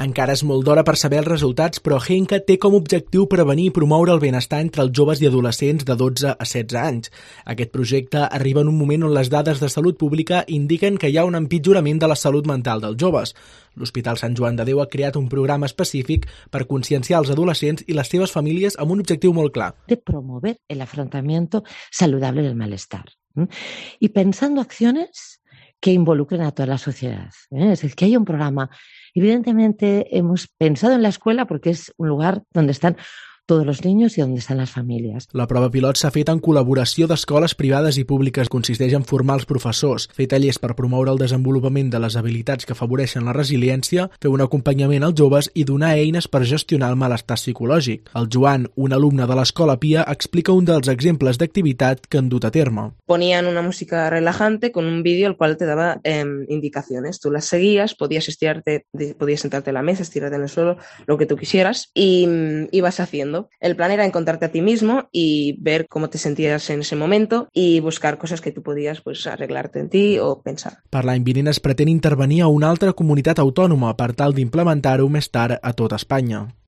Encara és molt d'hora per saber els resultats, però Henka té com a objectiu prevenir i promoure el benestar entre els joves i adolescents de 12 a 16 anys. Aquest projecte arriba en un moment on les dades de salut pública indiquen que hi ha un empitjorament de la salut mental dels joves. L'Hospital Sant Joan de Déu ha creat un programa específic per conscienciar els adolescents i les seves famílies amb un objectiu molt clar. De promover el afrontamiento saludable del malestar. Y pensando acciones que involucren a toda la sociedad. Es decir, que haya un programa. Evidentemente hemos pensado en la escuela porque es un lugar donde están todos los niños i on estan les famílies. La prova pilot s'ha fet en col·laboració d'escoles privades i públiques. Consisteix en formar els professors, fer tallers per promoure el desenvolupament de les habilitats que afavoreixen la resiliència, fer un acompanyament als joves i donar eines per gestionar el malestar psicològic. El Joan, un alumne de l'Escola Pia, explica un dels exemples d'activitat que han dut a terme. Ponían una música relajante con un vídeo el cual te daba indicaciones. Tú las seguías, podías estirarte, podías sentarte en la mesa, estirarte en el suelo, lo que tú quisieras y ibas haciendo. El plan era encontrarte a ti mismo y ver cómo te sentías en ese momento y buscar cosas que tú podías arreglarte en ti o pensar. Per l'any vinent es pretén intervenir a una altra comunitat autònoma per tal d'implementar-ho més tard a tot Espanya.